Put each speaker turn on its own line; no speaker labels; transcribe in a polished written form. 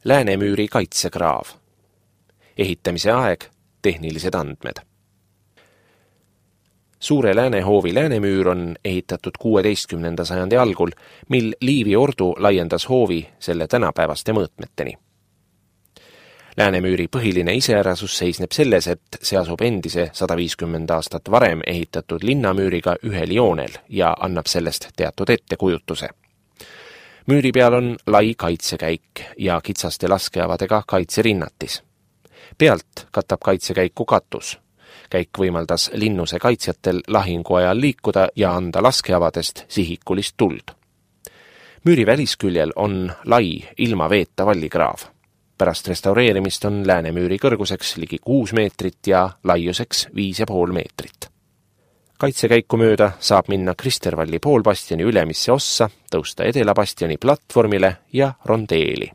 Läänemüüri kaitsekraav. Ehitamise aeg, tehnilised andmed. Suure Läänehoovi läänemüür on ehitatud 16. sajandi algul, mil Liivi ordu laiendas hoovi selle tänapäevaste mõõtmeteni. Läänemüüri põhiline iseärasus seisneb selles, et see asub endise 150 aastat varem ehitatud linnamüüriga ühel joonel ja annab sellest teatud ettekujutuse. Müüri peal on lai kaitsekäik ja kitsaste laskeavadega kaitserinnatis. Pealt katab kaitsekäiku katus. Käik võimaldas linnuse kaitsjatel lahingu ajal liikuda ja anda laskeavadest sihikulist tuld. Müüri välisküljel on lai ilma veeta vallikraav. Pärast restaureerimist on Läänemüüri kõrguseks ligi 6 meetrit ja laiuseks 5,5 meetrit. Kaitsekäiku mööda saab minna Kristervalli poolbastioni ülemisse ossa, tõusta Edela bastioni platvormile ja rondeeli.